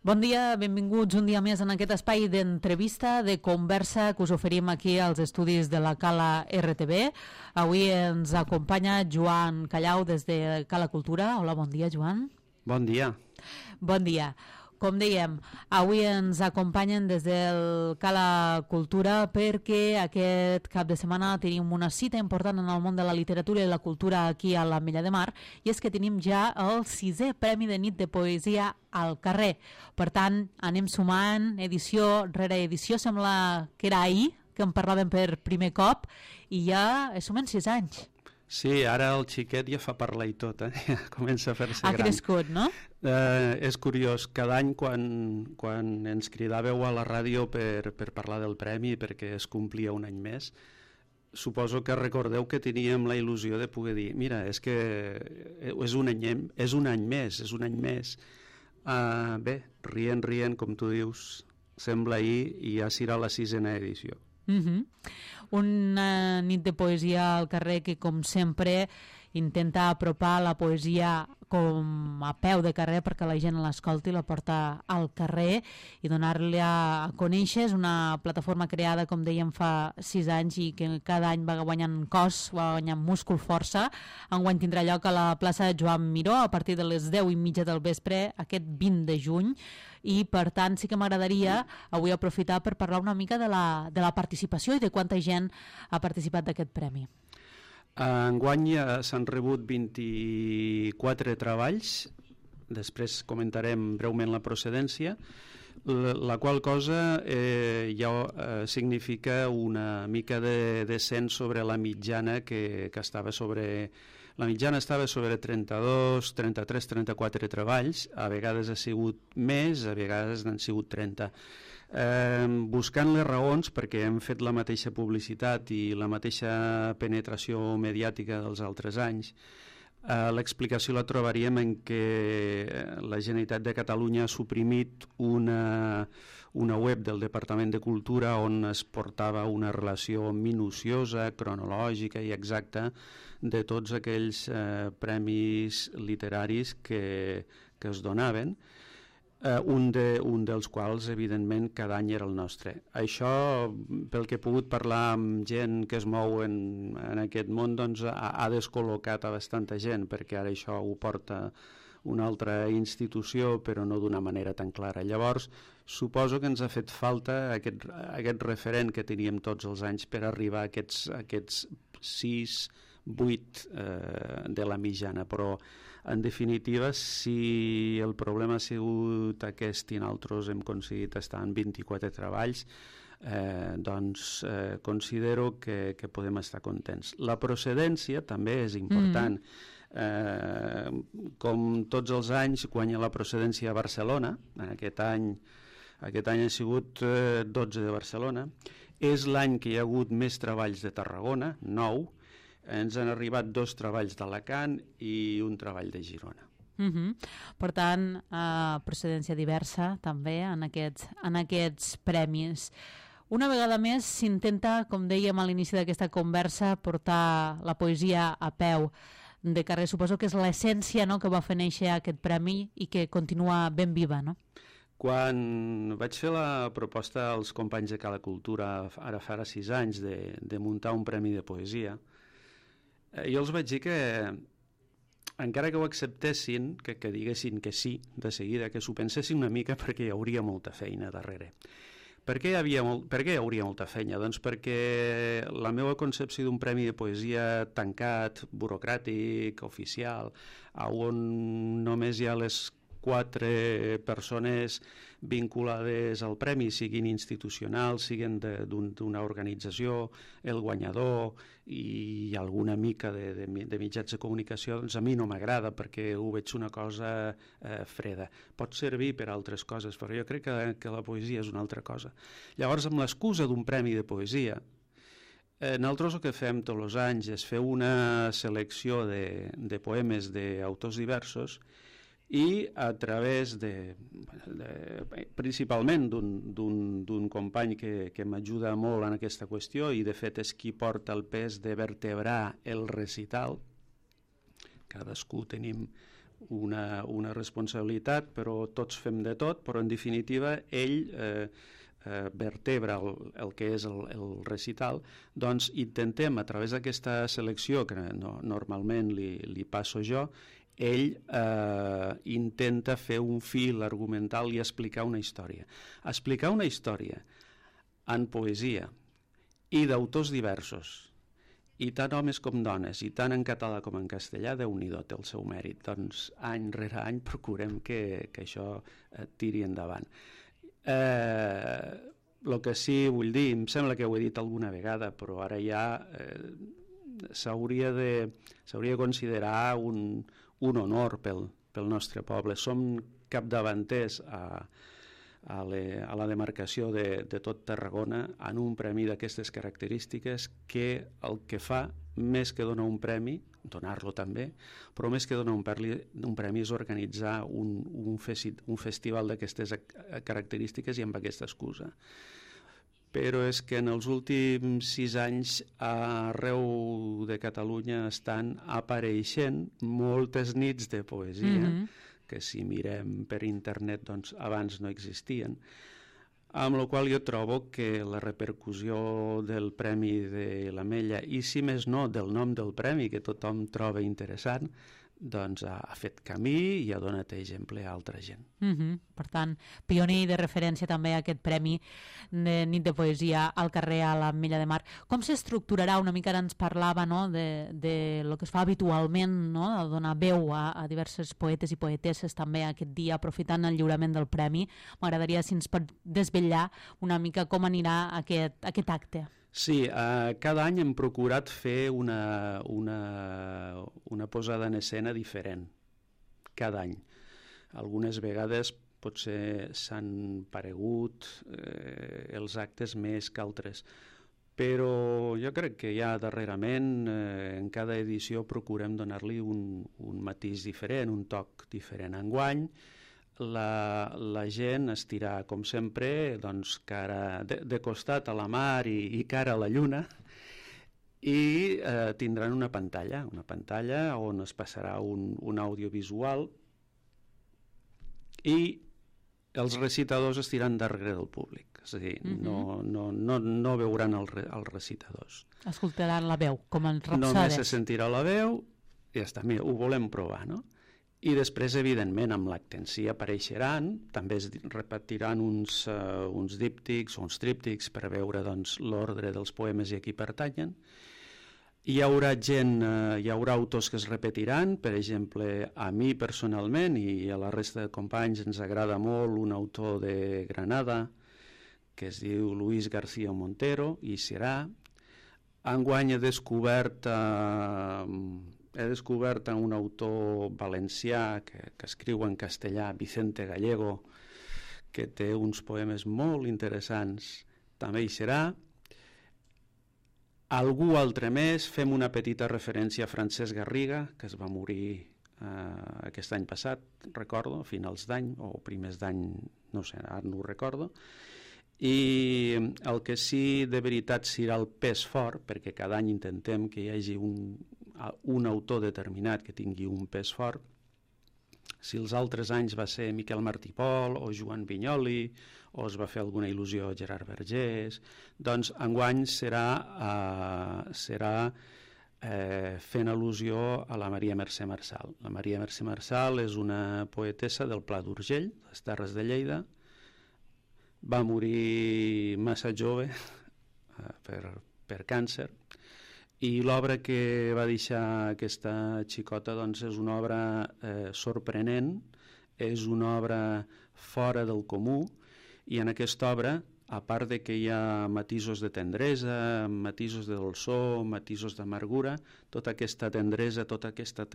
Bon dia, benvinguts un dia més en aquest espai d'entrevista, de conversa que us oferim aquí als estudis de la Cala RTV. Avui ens acompanya Joan Callau des de Cala Cultura. Hola, bon dia, Joan. Bon dia. Bon dia. Com dèiem, avui ens acompanyen des del Cala Cultura perquè aquest cap de setmana tenim una cita important en el món de la literatura i la cultura aquí a l'Ametlla de Mar, i és que tenim ja el 6è Premi de Nit de Poesia al carrer. Per tant, anem sumant edició rere edició, sembla que era ahir que en parlàvem per primer cop i ja sumen 6 anys. Sí, ara el xiquet ja fa parlar i tot, comença a fer-se gran. Ha crescut, no? És curiós, cada any quan ens cridàveu a la ràdio per parlar del premi, perquè es complia un any més, suposo que recordeu que teníem la il·lusió de poder dir, mira, és que és un any més. Bé, rient, com tu dius, sembla ahir i ja serà la 6a edició. Una nit de poesia al carrer que, com sempre, intenta apropar la poesia com a peu de carrer perquè la gent l'escolti, la porta al carrer i donar-li a conèixer. És una plataforma creada, com dèiem, fa 6 anys i que cada any va guanyant cos, va guanyant múscul, força. Enguany tindrà lloc a la plaça Joan Miró a partir de les 10:30 del vespre aquest 20 de juny, i per tant sí que m'agradaria avui aprofitar per parlar una mica de la participació i de quanta gent ha participat d'aquest premi. Enguany s'han rebut 24 treballs, després comentarem breument la procedència, la qual cosa ja significa una mica de descens sobre la mitjana que estava sobre... La mitjana estava sobre 32, 33, 34 treballs, a vegades ha sigut més, a vegades n'han sigut 30. Buscant les raons, perquè hem fet la mateixa publicitat i la mateixa penetració mediàtica dels altres anys, l'explicació la trobaríem en què la Generalitat de Catalunya ha suprimit una web del Departament de Cultura on es portava una relació minuciosa, cronològica i exacta de tots aquells premis literaris que es donaven, un dels quals, evidentment, cada any era el nostre. Això, pel que he pogut parlar amb gent que es mou en aquest món, doncs ha descol·locat a bastanta gent, perquè ara això ho porta una altra institució, però no d'una manera tan clara. Llavors, suposo que ens ha fet falta aquest referent que teníem tots els anys per arribar a aquests 6, 8 de la mitjana, però en definitiva, si el problema ha sigut aquest i nosaltres hem aconseguit estar en 24 treballs, doncs considero que podem estar contents. La procedència també és important. Com tots els anys guanya la procedència a Barcelona, aquest any ha sigut 12 de Barcelona, és l'any que hi ha hagut més treballs de Tarragona, 9, ens han arribat 2 treballs d'Alacant i un treball de Girona. Per tant, procedència diversa també en aquests premis. Una vegada més s'intenta, com dèiem a l'inici d'aquesta conversa, portar la poesia a peu de carrer. Suposo que és l'essència, no?, que va fer néixer aquest premi i que continua ben viva, no? Quan vaig fer la proposta als companys de Cala Cultura ara fa 6 anys de muntar un premi de poesia, jo els vaig dir que encara que ho acceptessin, que diguessin que sí de seguida, que s'ho pensessin una mica, perquè hi hauria molta feina darrere. Per què hi hauria molta feina? Doncs perquè la meva concepció d'un premi de poesia tancat, burocràtic, oficial, on només hi ha les 4 persones vinculades al premi, siguin institucionals, siguin d'una organització, el guanyador i alguna mica de mitjans de comunicació, doncs a mi no m'agrada perquè ho veig una cosa freda. Pot servir per altres coses, però jo crec que la poesia és una altra cosa. Llavors, amb l'excusa d'un premi de poesia, nosaltres el que fem tots els anys és fer una selecció de poemes d'autors diversos i a través principalment d'un company que m'ajuda molt en aquesta qüestió i de fet és qui porta el pes de vertebrar el recital. Cadascú tenim una responsabilitat, però tots fem de tot, però en definitiva ell vertebra el que és el recital, doncs intentem a través d'aquesta selecció que normalment li passo jo, ell intenta fer un fil argumental i explicar una història. Explicar una història en poesia i d'autors diversos, i tant homes com dones, i tant en català com en castellà, Déu-n'hi-do, té el seu mèrit. Doncs any rere any procurem que això tiri endavant. El que sí vull dir, em sembla que ho he dit alguna vegada, però ara ja s'hauria de considerar un honor pel nostre poble. Som capdavanters a la demarcació de tot Tarragona en un premi d'aquestes característiques, que el que fa, més que donar un premi, donar-lo també, però més que donar un premi és organitzar un festival d'aquestes característiques i amb aquesta excusa. Però és que en els últims 6 anys arreu de Catalunya estan apareixent moltes nits de poesia, que si mirem per internet doncs abans no existien, amb la qual jo trobo que la repercussió del Premi de l'Ametlla, i si més no del nom del premi, que tothom troba interessant, doncs ha fet camí i ha donat exemple a altra gent. Per tant, pioner de referència també a aquest premi de nit de poesia al carrer a l'Ametlla de Mar. Com s'estructurarà? Una mica ara ens parlava, no?, de lo que es fa habitualment, no?, de donar veu a diversos poetes i poetesses també aquest dia, aprofitant el lliurament del premi. M'agradaria si ens pot desvetllar una mica com anirà aquest acte. Sí, cada any hem procurat fer una posada en escena diferent, cada any. Algunes vegades potser s'han paregut els actes més que altres, però jo crec que ja darrerament en cada edició procurem donar-li un matís diferent, un toc diferent. Enguany la gent estirà, com sempre, doncs, cara de costat a la mar i cara a la lluna, i tindran una pantalla on es passarà un audiovisual, i els recitadors estiran darrere del públic, és a dir, no veuran els recitadors. Escoltaran la veu, com en rapsades. Només se sentirà la veu i ja està, mira, ho volem provar, no? I després, evidentment, amb l'acte en si apareixeran, també es repetiran uns díptics o uns tríptics per veure doncs, l'ordre dels poemes i a qui pertanyen. Hi haurà autors que es repetiran, per exemple, a mi personalment i a la resta de companys ens agrada molt un autor de Granada que es diu Luis García Montero, i serà. Enguany he descobert un autor valencià que escriu en castellà, Vicente Gallego, que té uns poemes molt interessants, també hi serà. Algú altre més, fem una petita referència a Francesc Garriga, que es va morir aquest any passat, recordo, a finals d'any o primers d'any, no sé, ara no ho recordo. I el que sí de veritat serà el pes fort, perquè cada any intentem que hi hagi un autor determinat que tingui un pes fort. Si els altres anys va ser Miquel Martí Pol o Joan Vinyoli, o es va fer alguna il·lusió a Gerard Vergés, doncs enguany serà fent al·lusió a la Maria Mercè Marçal. La Maria Mercè Marçal és una poetessa del Pla d'Urgell, les Terres de Lleida. Va morir massa jove per càncer, i l'obra que va deixar aquesta xicota doncs, és una obra sorprenent, és una obra fora del comú, i en aquesta obra, a part de que hi ha matisos de tendresa, matisos de dolçor, matisos d'amargura, tota aquesta tendresa, tota aquesta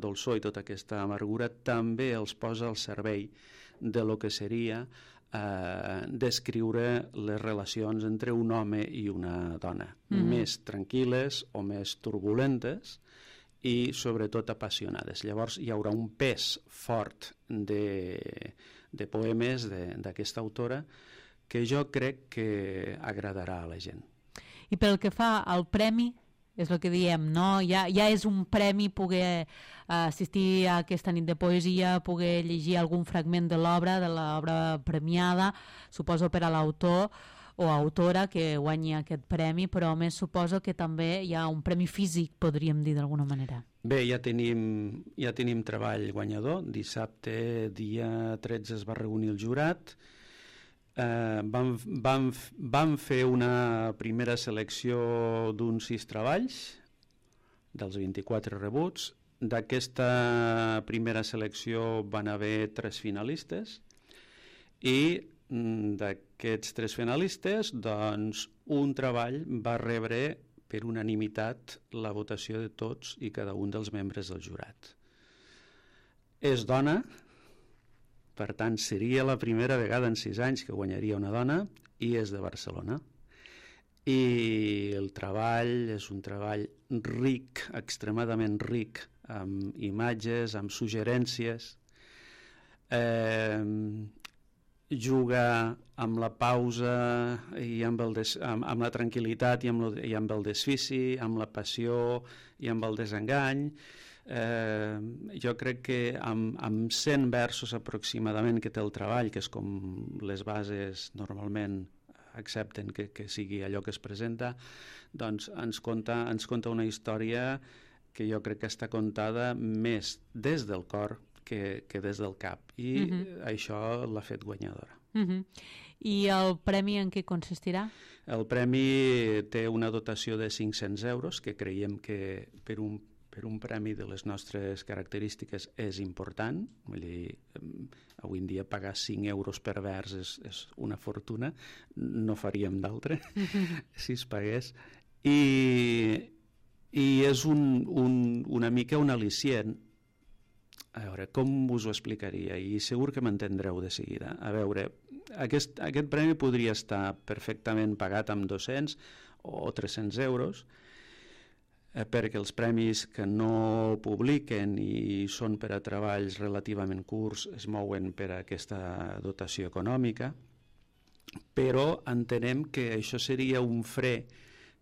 dolçor i tota aquesta amargura també els posa al servei de lo que seria descriure les relacions entre un home i una dona, més tranquil·les o més turbulentes i sobretot apassionades. Llavors hi haurà un pes fort de poemes d'aquesta autora que jo crec que agradarà a la gent. I pel que fa al premi, és el que diem, no? Ja és un premi poder assistir a aquesta nit de poesia, poder llegir algun fragment de l'obra premiada, suposo per a l'autor o autora que guanyi aquest premi, però a més suposo que també hi ha un premi físic, podríem dir d'alguna manera. Bé, ja tenim treball guanyador. Dissabte, dia 13, es va reunir el jurat. Vam fer una primera selecció d'uns 6 treballs, dels 24 rebuts. D'aquesta primera selecció van haver 3 finalistes i d'aquests 3 finalistes, doncs, un treball va rebre per unanimitat la votació de tots i cada un dels membres del jurat. És dona, per tant seria la primera vegada en 6 anys que guanyaria una dona, i és de Barcelona. I el treball és un treball ric, extremadament ric, amb imatges, amb suggerències, juga amb la pausa i amb la tranquil·litat i amb el desfici, amb la passió i amb el desengany. Jo crec que amb 100 versos aproximadament que té el treball, que és com les bases normalment accepten que sigui allò que es presenta, doncs ens conta una història que jo crec que està contada més des del cor que des del cap, i això l'ha fet guanyadora. I el premi en què consistirà? El premi té una dotació de 500 euros, que creiem que per un premi de les nostres característiques és important. Vull dir, avui en dia pagar 5 euros per vers és una fortuna, no faríem d'altre si es pagués. I és una mica un al·licient. A veure, com us ho explicaria? I segur que m'entendreu de seguida. A veure, aquest premi podria estar perfectament pagat amb 200 o 300 euros, perquè els premis que no publiquen i són per a treballs relativament curts es mouen per a aquesta dotació econòmica, però entenem que això seria un fre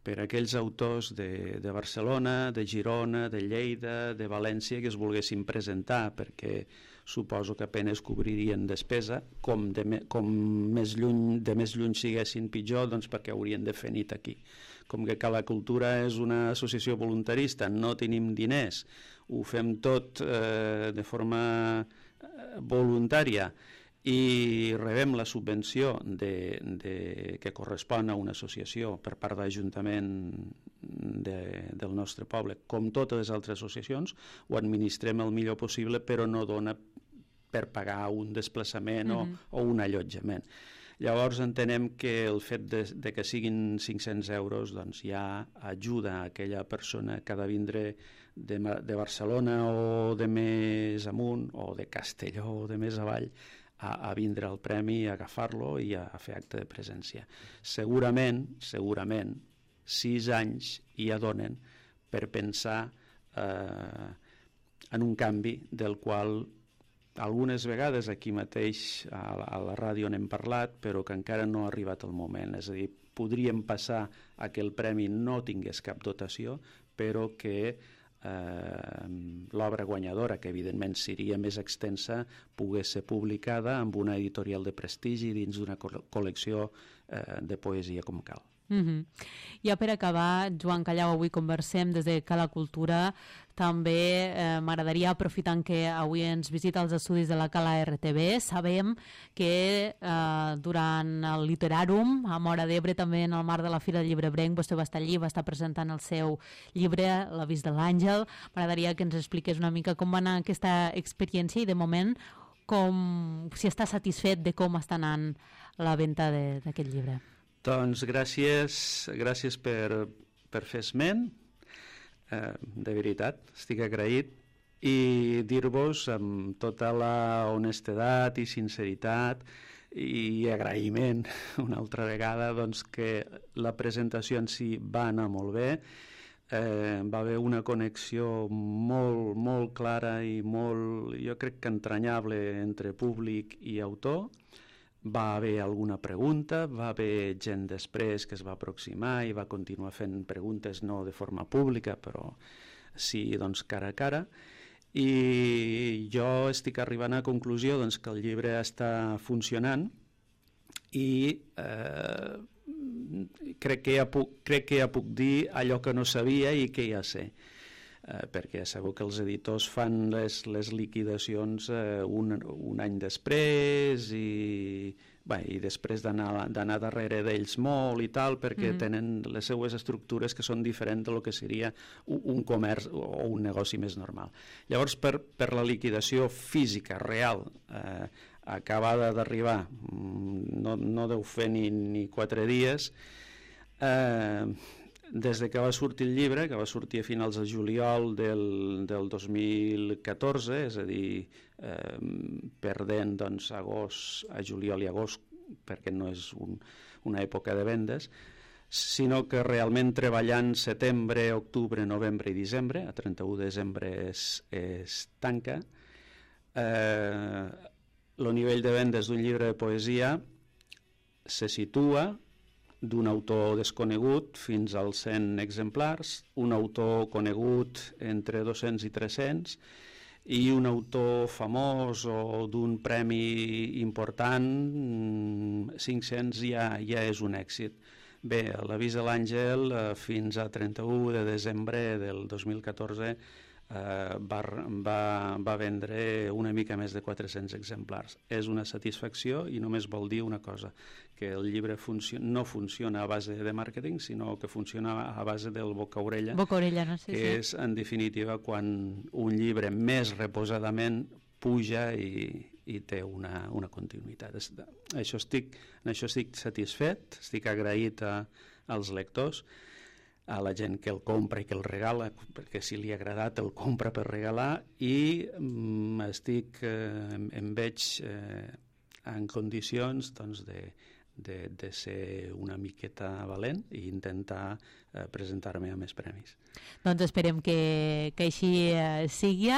per a aquells autors de Barcelona, de Girona, de Lleida, de València, que es volguessin presentar, perquè suposo que apenes cobririen despesa, com de més lluny siguessin pitjor, doncs perquè haurien de fer nit aquí. Com que Cala Cultura és una associació voluntarista, no tenim diners, ho fem tot de forma voluntària, i rebem la subvenció que correspon a una associació per part de l'Ajuntament del nostre poble, com totes les altres associacions, ho administrem el millor possible, però no dona per pagar un desplaçament o un allotjament. Llavors entenem que el fet de que siguin 500 euros doncs ja ajuda a aquella persona que ha de vindre de Barcelona o de més amunt, o de Castelló o de més avall, a vindre al premi, a agafar-lo i a fer acte de presència. Segurament, 6 anys ja donen per pensar en un canvi del qual algunes vegades aquí mateix a la ràdio n'hem parlat, però que encara no ha arribat el moment. És a dir, podríem passar a que el premi no tingués cap dotació, però que l'obra guanyadora, que evidentment seria més extensa, pogués ser publicada amb una editorial de prestigi dins d'una col·lecció de poesia com cal. Ja per acabar, Joan Callau, avui conversem des de Cala Cultura. També m'agradaria, aprofitant que avui ens visita els estudis de la Cala RTV, sabem que durant el Literàrum, a Móra d'Ebre, també en el marc de la Fira del Llibrebrenc, vostè va estar allí, va estar presentant el seu llibre, L'avís de l'Àngel. M'agradaria que ens expliqués una mica com va anar aquesta experiència i, de moment, si està satisfet de com està anant la venda d'aquest llibre. Doncs gràcies per fer esment, de veritat, estic agraït, i dir-vos amb tota la honestedat i sinceritat i agraïment una altra vegada doncs, que la presentació en si va anar molt bé, va haver una connexió molt, molt clara i molt, jo crec que entranyable entre públic i autor. va haver alguna pregunta, va haver gent després que es va aproximar i va continuar fent preguntes, no de forma pública, però sí, doncs, cara a cara. I jo estic arribant a la conclusió, doncs, que el llibre està funcionant i crec que ja puc dir allò que no sabia i que ja sé. Perquè segur que els editors fan les liquidacions un any després i després d'anar darrere d'ells molt i tal, perquè tenen les seues estructures que són diferents del que seria un comerç o un negoci més normal. Llavors, per la liquidació física, real, acabada d'arribar, no deu fer ni 4 dies, des de que va sortir el llibre, que va sortir a finals de juliol del 2014, és a dir, perdent doncs, a juliol i agost, perquè no és una època de vendes, sinó que realment treballant setembre, octubre, novembre i desembre, a 31 de desembre es tanca, el nivell de vendes d'un llibre de poesia se situa d'un autor desconegut fins als 100 exemplars, un autor conegut entre 200 i 300 i un autor famós o d'un premi important, 500 ja és un èxit. Bé, l'Avís de l'Àngel fins a 31 de desembre del 2014 va vendre una mica més de 400 exemplars. És una satisfacció i només vol dir una cosa, que el llibre no funciona a base de màrqueting, sinó que funciona a base del boca-orella, no? Sí, que és, en definitiva, quan un llibre més reposadament puja i té una continuïtat. En això estic satisfet, estic agraït als lectors, a la gent que el compra i que el regala, perquè si li ha agradat el compra per regalar, i em veig en condicions doncs, de ser una miqueta valent i intentar presentar-me a més premis. Doncs esperem que així sigui.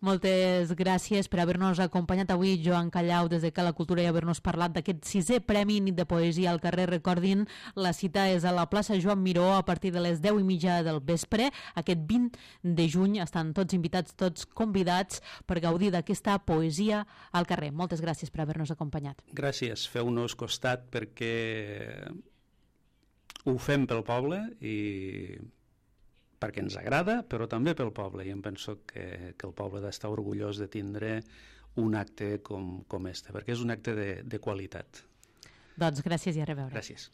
Moltes gràcies per haver-nos acompanyat avui, Joan Callau, des de Cala Cultura, i haver-nos parlat d'aquest 6è Premi Nit de Poesia al carrer. Recordin, la cita és a la plaça Joan Miró a partir de les 10:30 del vespre. Aquest 20 de juny estan tots invitats, tots convidats per gaudir d'aquesta poesia al carrer. Moltes gràcies per haver-nos acompanyat. Gràcies, feu-nos costat perquè ho fem pel poble i perquè ens agrada, però també pel poble, i em penso que el poble ha d'estar orgullós de tindre un acte com este, perquè és un acte de qualitat. Doncs gràcies i a reveure. Gràcies.